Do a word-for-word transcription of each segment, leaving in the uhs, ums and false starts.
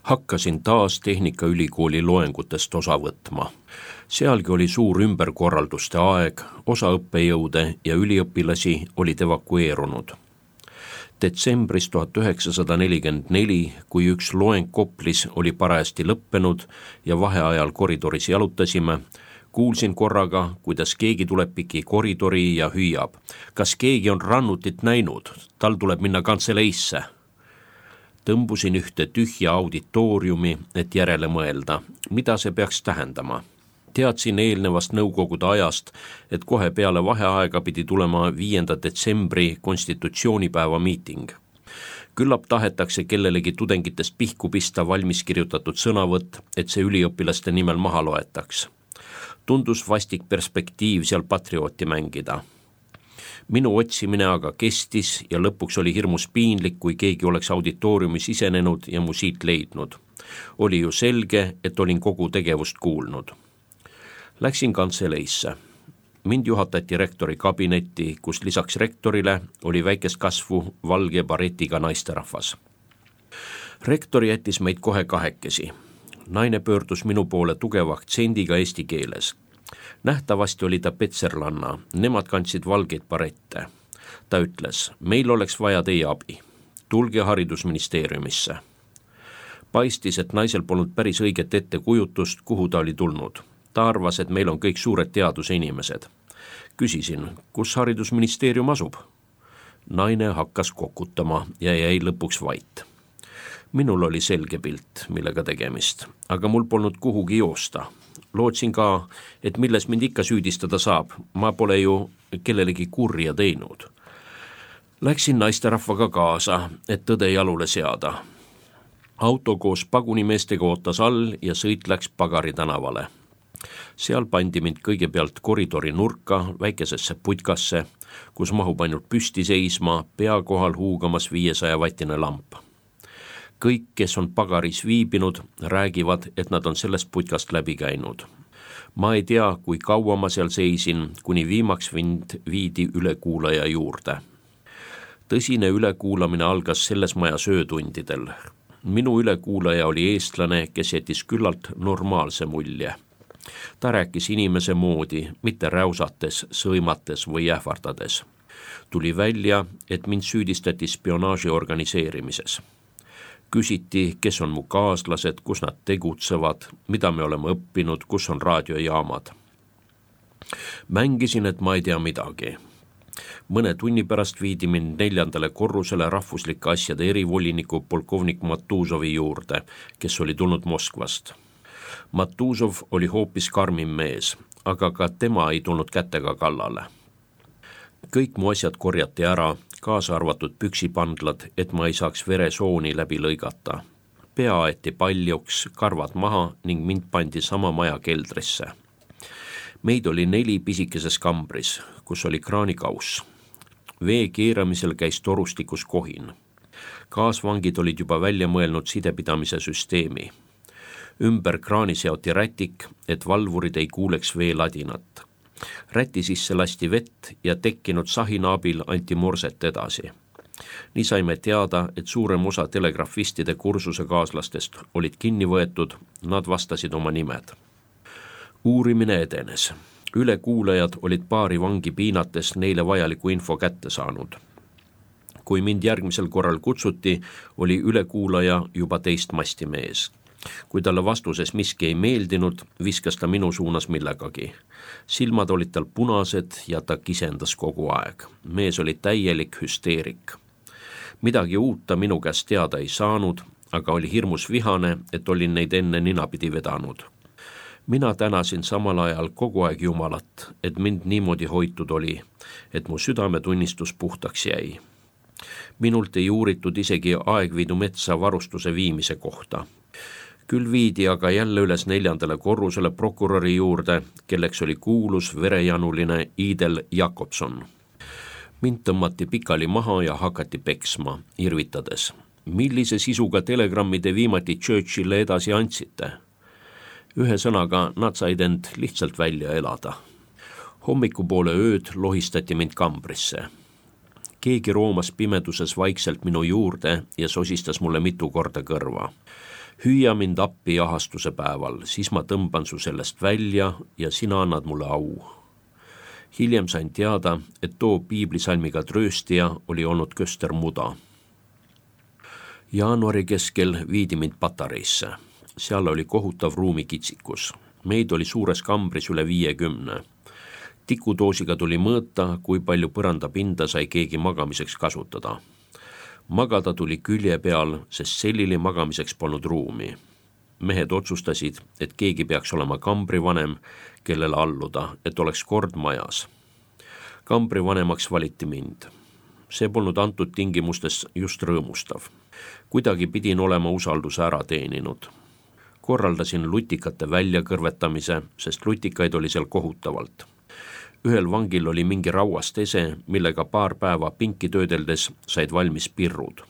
Hakkasin taas Tehnikaülikooli loengutest osa võtma. Sealgi oli suur ümberkorralduste aeg, osa õppejõude ja üliõpilasi olid evakueerunud. Detsembris tuhat üheksasada nelikümmend neli, kui üks loeng Koplis oli parajasti lõppenud ja vaheajal koridoris jalutasime, kuulsin korraga, kuidas keegi tuleb piki koridori ja hüüab. Kas keegi on Rannutit näinud? Tal tuleb minna kantseleisse. Tõmbusin ühte tühja auditooriumi, et järele mõelda, mida see peaks tähendama. Teadsin eelnevast nõukogude ajast, et kohe peale vaheaega pidi tulema viienda detsembri konstitutsioonipäeva miiting. Küllap tahetakse kellelegi tudengitest pihku pista valmis kirjutatud sõnavõtt, et see üliõpilaste nimel maha loetaks. Tundus vastik perspektiiv seal patriooti mängida. Minu otsimine aga kestis ja lõpuks oli hirmus piinlik, kui keegi oleks auditooriumi sisenenud ja mu siit leidnud. Oli ju selge, et olin kogu tegevust kuulnud. Läksin kantseleisse. Mind juhatati rektori kabinetti, kus lisaks rektorile oli väikest kasvu valge baretiga naisterahvas. Rektor jättis meid kohe kahekesi. Naine pöördus minu poole tugeva aktsendiga eesti keeles. Nähtavasti oli ta petserlanna, nemad kandsid valgeid barette. Ta ütles, meil oleks vaja teie abi. Tulge haridusministeeriumisse. Paistis, et naisel polnud päris õiget ettekujutust, kuhu ta oli tulnud. Ta arvas, et meil on kõik suured teaduse inimesed. Küsisin, kus haridusministeerium asub? Naine hakkas kokutama ja jäi lõpuks vait. Minul oli selge pilt, millega tegemist, aga mul polnud kuhugi joosta. Lootsin ka, et milles mind ikka süüdistada saab. Ma pole ju kellelegi kurja teinud. Läksin naisterahvaga kaasa, et tõde jalule seada. Auto koos pagunimeestega ootas all ja sõit läks Pagari tänavale. Seal pandi mind kõigepealt koridori nurka väikesesse putkasse, kus mahub ainult püsti seisma, pea kohal huugamas viiesaja vatine lamp. Kõik, kes on Pagaris viibinud, räägivad, et nad on sellest putkast läbi käinud. Ma ei tea, kui kaua ma seal seisin, kuni viimaks mind viidi ülekuulaja juurde. Tõsine ülekuulamine algas selles majas öötundidel. Minu ülekuulaja oli eestlane, kes jättis küllalt normaalse mulje. Ta rääkis inimese moodi, mitte räusates, sõimates või ähvardades. Tuli välja, et mind süüdistati spionaaži organiseerimises. Küsiti, kes on mu kaaslased, kus nad tegutsevad, mida me oleme õppinud, kus on raadiojaamad. Mängisin, et ma ei tea midagi. Mõne tunni pärast viidi mind neljandale korrusele rahvuslike asjade erivoliniku polkovnik Matuzovi juurde, kes oli tulnud Moskvast. Matuzov oli hoopis karmim mees, aga ka tema ei tulnud kätega kallale. Kõik mu asjad korjati ära, kaasa arvatud püksipandlad, et ma ei saaks veresooni läbi lõigata. Pea aeti paljuks, karvad maha ning mind pandi sama maja keldrisse. Meid oli neli pisikeses kambris, kus oli kraanikauss. Vee keeramisel käis torustikus kohin. Kaasvangid olid juba välja mõelnud sidepidamise süsteemi. Ümber kraani seoti rätik, et valvurid ei kuuleks veeladinat. Räti sisse lasti vett ja tekkinud sahina abil anti morset edasi. Nii saime teada, et suurem osa telegrafistide kursuse kaaslastest olid kinni võetud, nad vastasid oma nimed. Uurimine edenes. Ülekuulajad olid paari vangi piinates neile vajaliku info kätte saanud. Kui mind järgmisel korral kutsuti, oli ülekuulaja juba teist masti mees. Kui talle vastuses miski ei meeldinud, viskas ta minu suunas millegagi. Silmad olid tal punased ja ta kisendas kogu aeg. Mees oli täielik hüsteerik. Midagi uut ta minu käest teada ei saanud, aga oli hirmus vihane, et olin neid enne ninapidi vedanud. Mina tänasin samal ajal kogu aeg Jumalat, et mind niimoodi hoitud oli, et mu südametunnistus puhtaks jäi. Minult ei uuritud isegi Aegviidu metsa varustuse viimise kohta. Küll viidi aga jälle üles neljandale korrusele prokuröri juurde, kelleks oli kuulus verejanuline Idel Jakobson. Mind tõmmati pikali maha ja hakati peksma, irvitades. Millise sisuga telegrammide viimati Churchille edasi andsite? Ühe sõnaga nad said end lihtsalt välja elada. Hommikupoole ööd lohistati mind kambrisse. Keegi roomas pimeduses vaikselt minu juurde ja sosistas mulle mitu korda kõrva. Hüüa mind appi jahastuse päeval, siis ma tõmban su sellest välja ja sina annad mulle au. Hiljem sain teada, et too piiblisalmiga trööstija oli olnud Köster Muda. Jaanuari keskel viidi mind patareisse. Seal oli kohutav ruumikitsikus. Meid oli suures kambris üle viiekümne. Tikudoosiga tuli mõõta, kui palju põrandapinda sai keegi magamiseks kasutada. Magada tuli külje peal, sest sellili magamiseks polnud ruumi. Mehed otsustasid, et keegi peaks olema kambrivanem, kellele alluda, et oleks kord majas. Kambrivanemaks valiti mind. See polnud antud tingimustes just rõõmustav. Kuidagi pidin olema usalduse ära teeninud. Korraldasin lutikate väljakõrvetamise, sest lutikaid oli seal kohutavalt. Ühel vangil oli mingi rauast ese, millega paar päeva pinki töödeldes said valmis pirrud.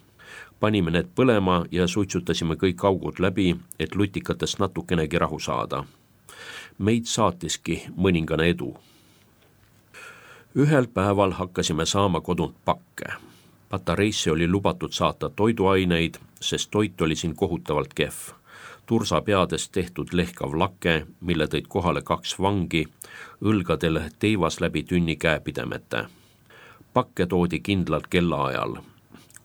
Panime need põlema ja suitsutasime kõik augud läbi, et lutikatest natukenegi rahu saada. Meid saatiski mõningane edu. Ühel päeval hakkasime saama kodunt pakke. Patareisse oli lubatud saata toiduaineid, sest toit oli siin kohutavalt kehv. Tursa peadest tehtud lehkav lake, mille tõid kohale kaks vangi, õlgadel teivas läbi tünni käepidemete. Pakke toodi kindlalt kellaajal.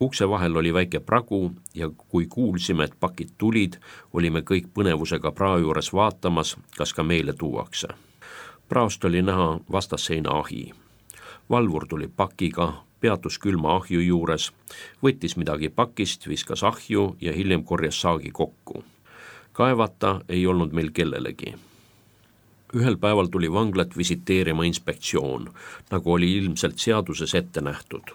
Ukse vahel oli väike pragu ja kui kuulsime, et pakid tulid, olime kõik põnevusega praa juures vaatamas, kas ka meile tuuakse. Praost oli näha vastasseina ahi. Valvur tuli pakiga, peatus külma ahju juures, võttis midagi pakist, viskas ahju ja hiljem korjas saagi kokku. Kaevata ei olnud meil kellelegi. Ühel päeval tuli vanglat visiteerima inspektsioon, nagu oli ilmselt seaduses ette nähtud.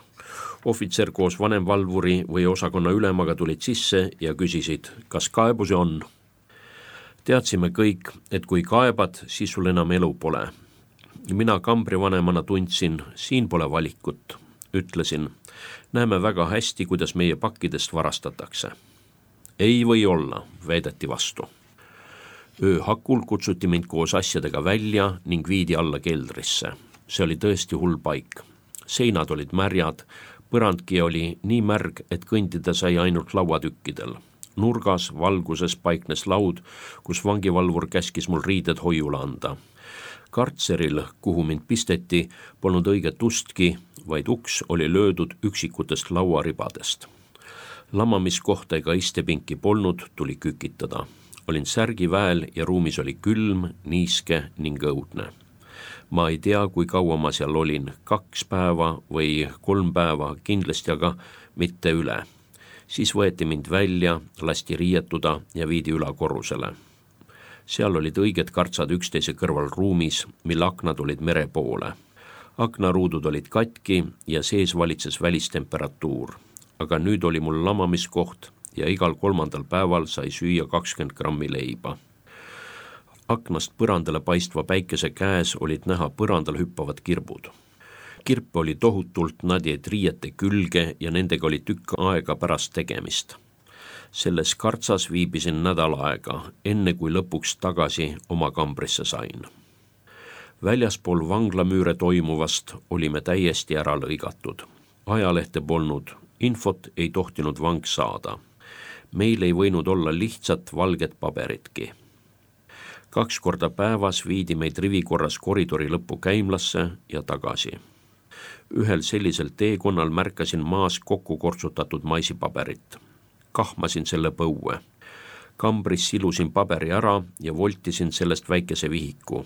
Ohvitser koos vanemvalvuri või osakonna ülemaga tulid sisse ja küsisid, kas kaebusi on. Teadsime kõik, et kui kaebad, siis sul enam elu pole. Mina kambrivanemana tundsin, siin pole valikut. Ütlesin, näeme väga hästi, kuidas meie pakkidest varastatakse. Ei või olla, väideti vastu. Öö hakul kutsuti mind koos asjadega välja ning viidi alla keldrisse. See oli tõesti hull paik. Seinad olid märjad, põrandki oli nii märg, et kõndida sai ainult lauatükkidel. Nurgas valguses paiknes laud, kus vangivalvur käskis mul riided hoiule anda. Kartseril, kuhu mind pisteti, polnud õiget ustki, vaid uks oli löödud üksikutest lauaribadest. Lamamiskohta ega istepinki polnud, tuli kükitada. Olin särgi väel ja ruumis oli külm, niiske ning õudne. Ma ei tea, kui kaua ma seal olin, kaks päeva või kolm päeva, kindlasti aga mitte üle. Siis võeti mind välja, lasti riietuda ja viidi ülakorrusele. Seal olid õiged kartsad üksteise kõrval ruumis, mille aknad olid mere poole. Aknaruudud olid katki ja sees valitses välistemperatuur. Aga nüüd oli mul lamamiskoht ja igal kolmandal päeval sai süüa kakskümmend grammi leiba. Aknast põrandale paistva päikese käes olid näha põrandal hüppavad kirbud. Kirpe oli tohutult, nad jäid riiete külge ja nendega oli tükk aega pärast tegemist. Selles kartsas viibisin nädal aega, enne kui lõpuks tagasi oma kambrisse sain. Väljaspool vanglamüüre toimuvast olime täiesti ära lõigatud. Ajalehte polnud, infot ei tohtinud vang saada. Meil ei võinud olla lihtsat valget paberitki. Kaks korda päevas viidi meid rivikorras koridori lõppu käimlasse ja tagasi. Ühel sellisel teekonnal märkasin maas kokku kortsutatud maisipaberit. Kahmasin selle põue. Kambris silusin paberi ära ja voltisin sellest väikese vihiku.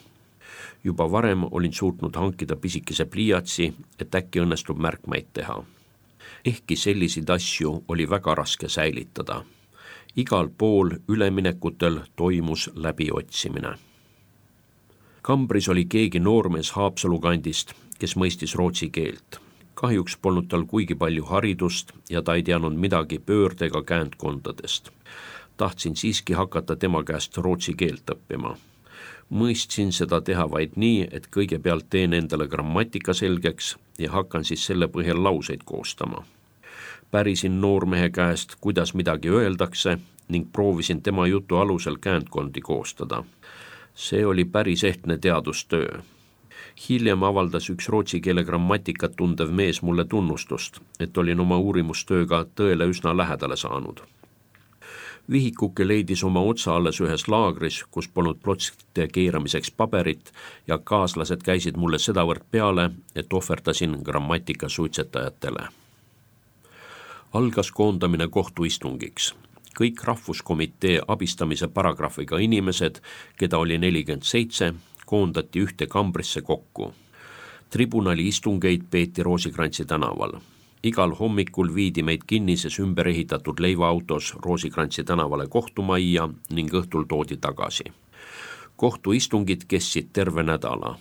Juba varem olin suutnud hankida pisikese pliiatsi, et äkki õnnestub märkmeid teha. Ehkki selliseid asju oli väga raske säilitada. Igal pool üleminekutel toimus läbiotsimine. Kambris oli keegi noormees Haapsalu kandist, kes mõistis rootsi keelt. Kahjuks polnud tal kuigi palju haridust ja ta ei teadnud midagi pöörde ega käändkondadest. Tahtsin siiski hakata tema käest rootsi keelt õppima. Mõistsin seda teha vaid nii, et kõigepealt teen endale grammatika selgeks ja hakkan siis selle põhjal lauseid koostama. Pärisin noormehe käest, kuidas midagi öeldakse ning proovisin tema jutu alusel käändkondi koostada. See oli päris ehtne teadustöö. Hiljem avaldas üks rootsi keele grammatikat tundev mees mulle tunnustust, et olin oma uurimustööga tõele üsna lähedale saanud. Vihikuke leidis oma otsa alles ühes laagris, kus polnud plotside keeramiseks paberit ja kaaslased käisid mulle sedavõrd peale, et ohverdasin grammatika suitsetajatele. Algas koondamine kohtuistungiks. Kõik rahvuskomitee abistamise paragrahviga inimesed, keda oli nelikümmend seitse, koondati ühte kambrisse kokku. Tribunali istungeid peeti Roosikrantsi tänaval. Igal hommikul viidi meid kinnises ümber ehitatud leivaautos Roosikrantsi tänavale kohtumajja ning õhtul toodi tagasi. Kohtuistungid kestsid terve nädala.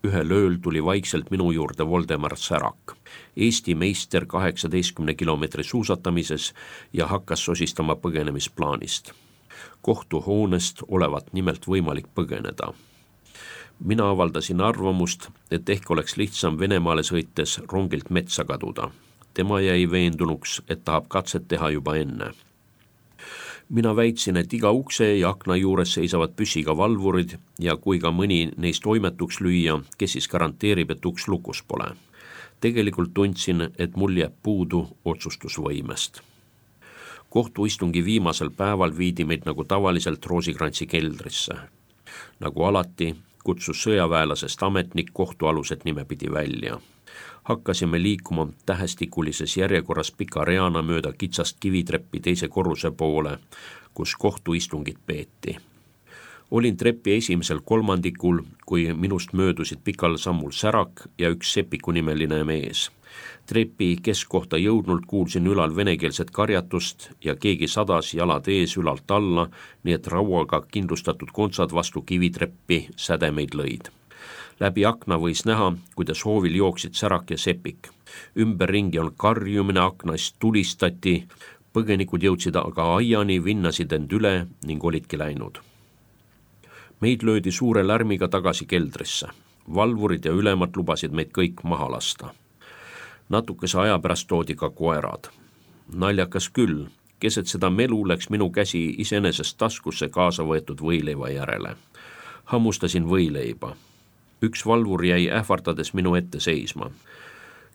Ühel ööl tuli vaikselt minu juurde Voldemar Särak, Eesti meister kaheksateistkümne kilomeetri suusatamises ja hakkas sosistama põgenemisplaanist. Kohtuhoonest olevat nimelt võimalik põgeneda. Mina avaldasin arvamust, et ehk oleks lihtsam Venemaale sõites rongilt metsa kaduda. Tema jäi veendunuks, et tahab katset teha juba enne. Mina väitsin, et iga ukse ja akna juures seisavad püssiga valvurid ja kui ka mõni neist toimetuks lüüa, kes siis garanteerib, et uks lukus pole. Tegelikult tundsin, et mul jääb puudu otsustusvõimest. Kohtuistungi viimasel päeval viidi meid nagu tavaliselt Roosikrantsi keldrisse. Nagu alati kutsus sõjaväelasest ametnik kohtualused nimepidi välja. Hakkasime liikuma tähestikulises järjekorras pika reana mööda kitsast kivitreppi teise korruse poole, kus kohtuistungid peeti. Olin trepi esimesel kolmandikul, kui minust möödusid pikal sammul Särak ja üks Sepiku nimeline mees. Trepi keskkohta jõudnult kuulsin ülal venekeelset karjatust ja keegi sadas jalad ees ülalt alla, nii et rauaga kindlustatud kontsad vastu kivitreppi sädemeid lõid. Läbi akna võis näha, kuidas hoovil jooksid Särak ja Sepik. Ümberringi on karjumine, aknaist tulistati, põgenikud jõudsid aga aiani, vinnasid end üle ning olidki läinud. Meid löödi suure lärmiga tagasi keldrisse. Valvurid ja ülemad lubasid meid kõik maha lasta. Natukese aja pärast toodi ka koerad. Naljakas küll, keset seda melu läks minu käsi iseenesest taskusse kaasa võetud võileiva järele. Hammustasin võileiba. Üks valvur jäi ähvardades minu ette seisma.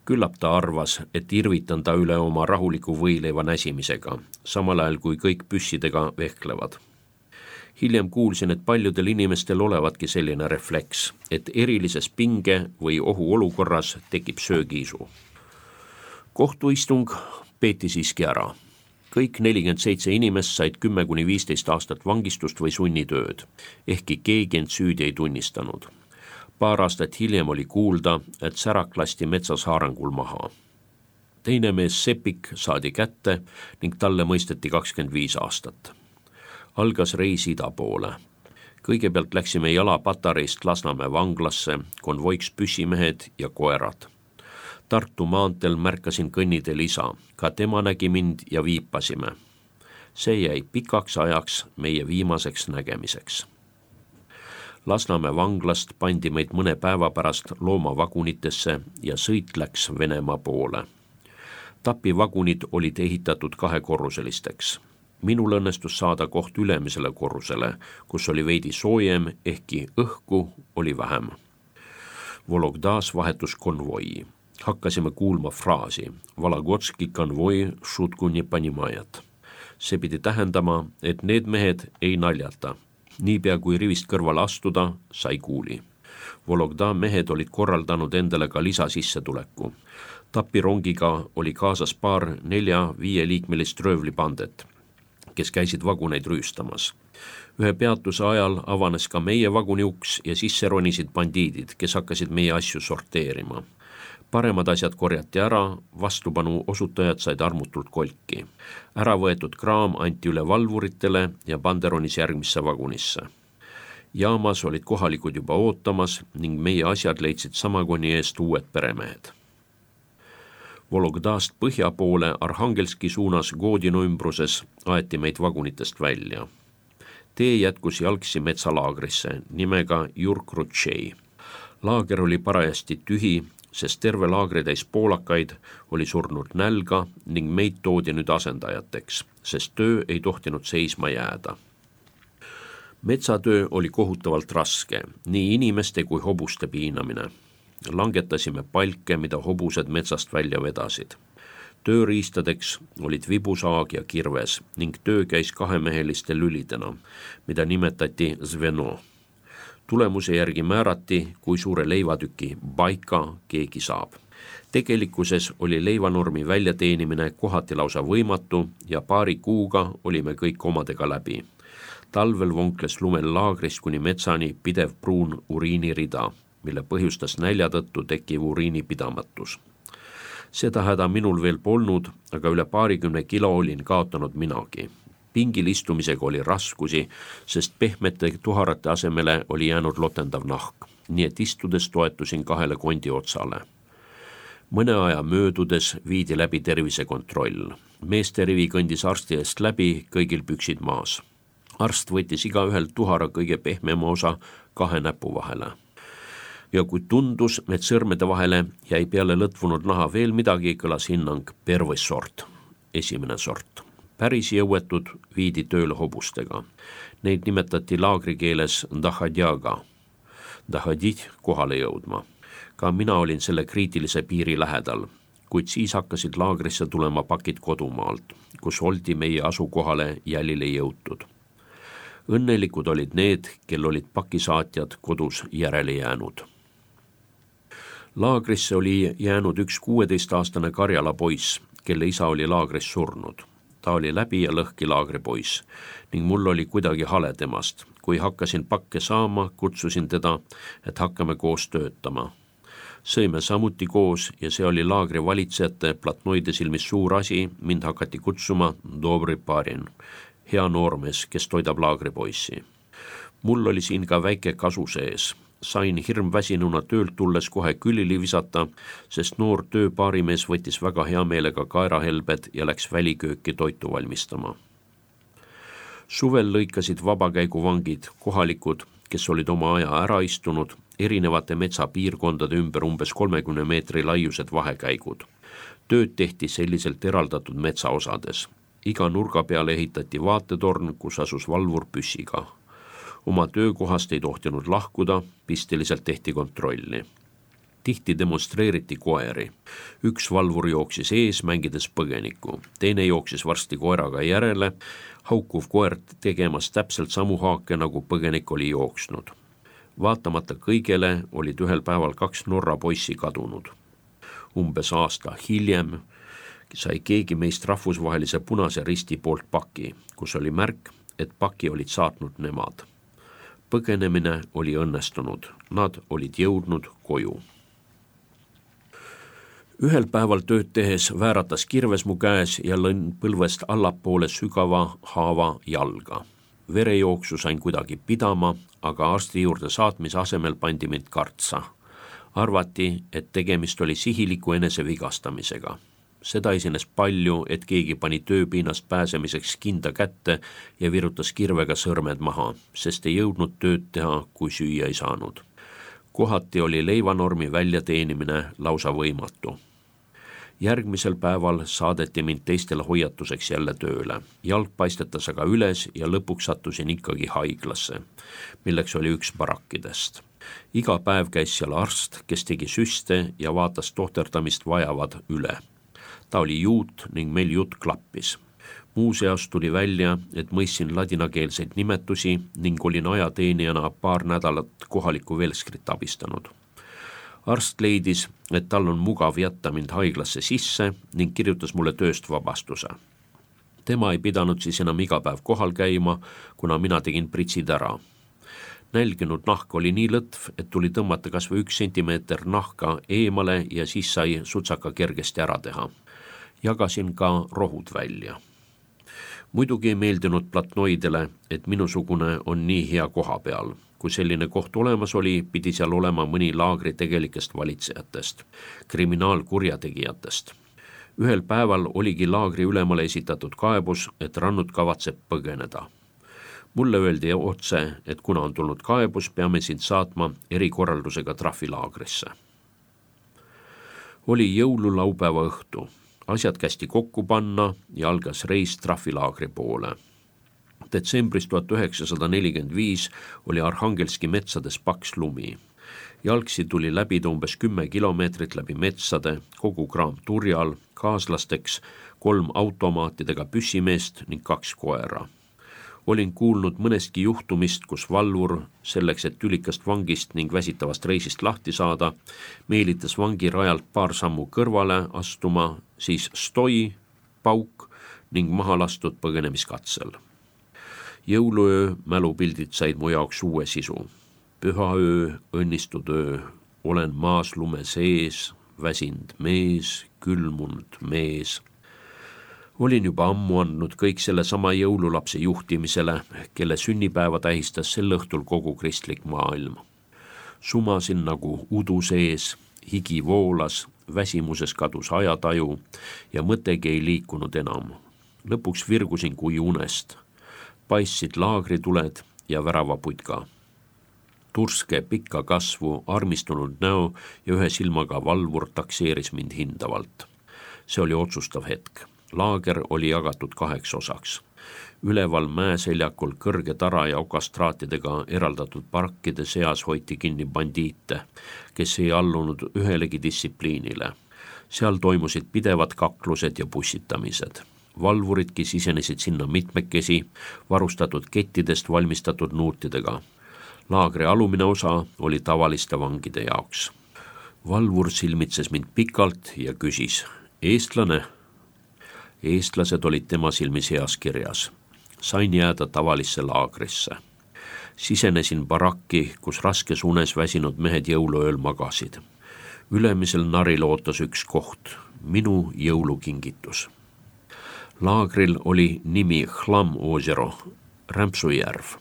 Küllap ta arvas, et irvitan ta üle oma rahuliku võileiva näsimisega, samal ajal kui kõik püssidega vehklevad. Hiljem kuulsin, et paljudel inimestel olevatki selline refleks, et erilises pinge või ohu olukorras tekib söögiisu. Kohtuistung peeti siiski ära. Kõik nelikümmend seitse inimest said kümme kuni viisteist aastat vangistust või sunnitööd, ehkki keegi end süüdi ei tunnistanud. Paar aastat hiljem oli kuulda, et Särak lasti metsas haarangul maha. Teine mees Sepik saadi kätte ning talle mõisteti kakskümmend viis aastat. Algas reis ida poole. Kõigepealt läksime jala Patareist Lasnamäe vanglasse, konvoiks püssimehed ja koerad. Tartu maanteel märkasin kõnniteel isa, ka tema nägi mind ja viipasime. See jäi pikaks ajaks meie viimaseks nägemiseks. Lasnamäe vanglast pandi meid mõne päeva pärast loomavagunitesse ja sõit läks Venemaa poole. Tapi vagunid olid ehitatud kahekorruselisteks. Minul õnnestus saada koht ülemisele korrusele, kus oli veidi soojem, ehkki õhku oli vähem. Vologdas vahetus konvoi. Hakkasime kuulma fraasi Vologotski konvoi šutku ne panimajat. See pidi tähendama, et need mehed ei naljata. Niipea kui rivist kõrval astuda, sai kuuli. Vologda mehed olid korraldanud endale ka lisasissetuleku. Tapirongiga oli kaasas paar nelja-viie liikmelist röövlipandet, kes käisid vaguneid rüüstamas. Ühe peatuse ajal avanes ka meie vaguni uks ja sisse ronisid bandiidid, kes hakkasid meie asju sorteerima. Paremad asjad korjati ära, vastupanu osutajad said armutult kolki. Ära võetud kraam anti üle valvuritele ja banderonis järgmisse vagunisse. Jaamas olid kohalikud juba ootamas ning meie asjad leidsid sama koni eest uued peremehed. Vologdast põhja poole Arhangelski suunas Godino ümbruses aeti meid vagunitest välja. Tee jätkus jalgsi metsalaagrisse nimega Jurk-Rutšei. Laager oli parajasti tühi, sest terve laagri täis poolakaid oli surnud nälga ning meid toodi nüüd asendajateks, sest töö ei tohtinud seisma jääda. Metsatöö oli kohutavalt raske, nii inimeste kui hobuste piinamine. Langetasime palke, mida hobused metsast välja vedasid. tööriistadeks olid vibusaag ja kirves ning töö käis kahemeheliste lülidena, mida nimetati zveno. Tulemuse järgi määrati, kui suure leivatüki baika keegi saab. Tegelikkuses oli leivanormi väljateenimine kohati lausa võimatu ja paari kuuga olime kõik omadega läbi. Talvel vonkles lumel laagrist kuni metsani pidev pruun uriinirida, mille põhjustas nälja tõttu tekkiv uriinipidamatus. Seda häda minul veel polnud, aga üle paarikümne kilo olin kaotanud minagi. Pingil istumisega oli raskusi, sest pehmete tuharate asemele oli jäänud lotendav nahk, nii et istudes toetusin kahele kondi otsale. Mõne aja möödudes viidi läbi tervisekontroll. Meeste rivi kõndis arsti eest läbi, kõigil püksid maas. Arst võttis igaühelt tuhara kõige pehmema osa kahe näpu vahele. Ja kui tundus, et sõrmede vahele jäi peale lõtvunud naha veel midagi, kõlas hinnang perve sort, esimene sort. Päris jõuetud viidi tööle hobustega. Neid nimetati laagrikeeles dahadjaga, dahadid kohale jõudma. Ka mina olin selle kriitilise piiri lähedal, kuid siis hakkasid laagrisse tulema pakid kodumaalt, kus oldi meie asukohale jälile jõutud. Õnnelikud olid need, kel olid pakisaatjad kodus järele jäänud. Laagrisse oli jäänud üks kuueteistaastane Karjala poiss, kelle isa oli laagris surnud. Ta oli läbi ja lõhki laagripoiss ning mul oli kuidagi hale temast. Kui hakkasin pakke saama, kutsusin teda, et hakkame koos töötama. Sõime samuti koos ja see oli laagri valitsejate platnoide silmis suur asi, mind hakati kutsuma Dobri parin, hea noormees, kes toidab laagripoissi. Mul oli siin ka väike kasu sees. Sain hirmväsinuna töölt tulles kohe külili visata, sest noor tööpaarimees võttis väga hea meelega kaerahelbed ja läks välikööki toitu valmistama. Suvel lõikasid vabakäiguvangid, kohalikud, kes olid oma aja ära istunud, erinevate metsapiirkondade ümber umbes kolmekümne meetri laiused vahekäigud. Tööd tehti selliselt eraldatud metsaosades. Iga nurga peale ehitati vaatetorn, kus asus valvur püssiga. Oma töökohast ei tohtinud lahkuda, pisteliselt tehti kontrolli. Tihti demonstreeriti koeri. Üks valvur jooksis ees, mängides põgenikku. Teine jooksis varsti koeraga järele, haukuv koer tegemas täpselt samu haake, nagu põgenik oli jooksnud. Vaatamata kõigele olid ühel päeval kaks Norra poissi kadunud. Umbes aasta hiljem sai keegi meist rahvusvahelise Punase Risti poolt paki, kus oli märk, et paki olid saatnud nemad. Põgenemine oli õnnestunud, nad olid jõudnud koju. Ühel päeval tööd tehes vääratas kirves mu käes ja lõin põlvest allapoole sügava haava jalga. Verejooksu sain kuidagi pidama, aga arsti juurde saatmise asemel pandi mind kartsa. Arvati, et tegemist oli sihiliku enese vigastamisega. Seda esines palju, et keegi pani tööpiinast pääsemiseks kinda kätte ja virutas kirvega sõrmed maha, sest ei jõudnud tööd teha, kui süüa ei saanud. Kohati oli leivanormi väljateenimine lausa võimatu. Järgmisel päeval saadeti mind teistele hoiatuseks jälle tööle. Jalg paistetas aga üles ja lõpuks sattusin ikkagi haiglasse, milleks oli üks barakkidest. Iga päev käis seal arst, kes tegi süste ja vaatas tohterdamist vajavad üle. Ta oli juut ning meil jutt klappis. Muuseas tuli välja, et mõistsin ladinakeelseid nimetusi ning olin ajateenijana paar nädalat kohalikku Velskrit abistanud. Arst leidis, et tal on mugav jätta mind haiglasse sisse ning kirjutas mulle tööst vabastuse. Tema ei pidanud siis enam iga päev kohal käima, kuna mina tegin pritsid ära. Nälginud nahk oli nii lõtv, et tuli tõmmata kas või üks sentimeeter nahka eemale ja siis sai sutsaka kergesti ära teha. Jagasin ka rohud välja. Muidugi ei meeldinud platnoidele, et minusugune on nii hea koha peal. Kui selline koht olemas oli, pidi seal olema mõni laagri tegelikest valitsejatest, kriminaalkurjategijatest. Ühel päeval oligi laagri ülemale esitatud kaebus, et rannud kavatseb põgeneda. Mulle öeldi otse, et kuna on tulnud kaebus, peame sind saatma erikorraldusega trahvilaagrisse. Oli jõululaupäeva õhtu. Asjad kästi kokku panna ja algas reis trahvilaagri poole. Detsembris tuhat üheksasada nelikümmend viis oli Arhangelski metsades paks lumi. jalgsi tuli läbida umbes kümme kilomeetrit läbi metsade, kogu kraam turjal, kaaslasteks kolm automaatidega püssimeest ning kaks koera. Olin kuulnud mõnestki juhtumist, kus valvur, selleks et tülikast vangist ning väsitavast reisist lahti saada, meelitas vangi rajalt paar sammu kõrvale astuma, siis stoi, pauk ning maha lastud põgenemiskatsel. Jõuluöö mälupildid said mu jaoks uue sisu. Pühaöö, õnnistud öö, olen maas lume sees, väsind mees, külmunud mees. Olin juba ammu andnud kõik selle sama jõululapse juhtimisele, kelle sünnipäeva tähistas sel õhtul kogu kristlik maailm. Sumasin nagu udu sees, higi voolas, väsimuses kadus ajataju ja mõtegi ei liikunud enam. Lõpuks virgusin kui unest. Paistsid laagrituled ja väravaputka. Turske pikka kasvu, armistunud näo ja ühe silmaga valvur takseeris mind hindavalt. See oli otsustav hetk. Laager oli jagatud kaheks osaks. Üleval mäeseljakul kõrge tara ja okastraatidega eraldatud parkide seas hoiti kinni bandiite, kes ei allunud ühelegi distsipliinile. Seal toimusid pidevad kaklused ja pussitamised. Valvuridki sisenesid sinna mitmekesi, varustatud kettidest valmistatud nuutidega. Laagri alumine osa oli tavaliste vangide jaoks. Valvur silmitses mind pikalt ja küsis, eestlane? Eestlased olid tema silmis heas kirjas. Sain jääda tavalisse laagrisse. Sisenesin barakki, kus raskes unes väsinud mehed jõuluööl magasid. Ülemisel naril ootas üks koht, minu jõulukingitus. Laagril oli nimi Hlam Ozero, Rämpsujärv.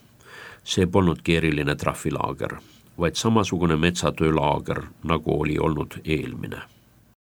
See polnud keeriline trahvilaager, vaid samasugune metsatöölaager, nagu oli olnud eelmine.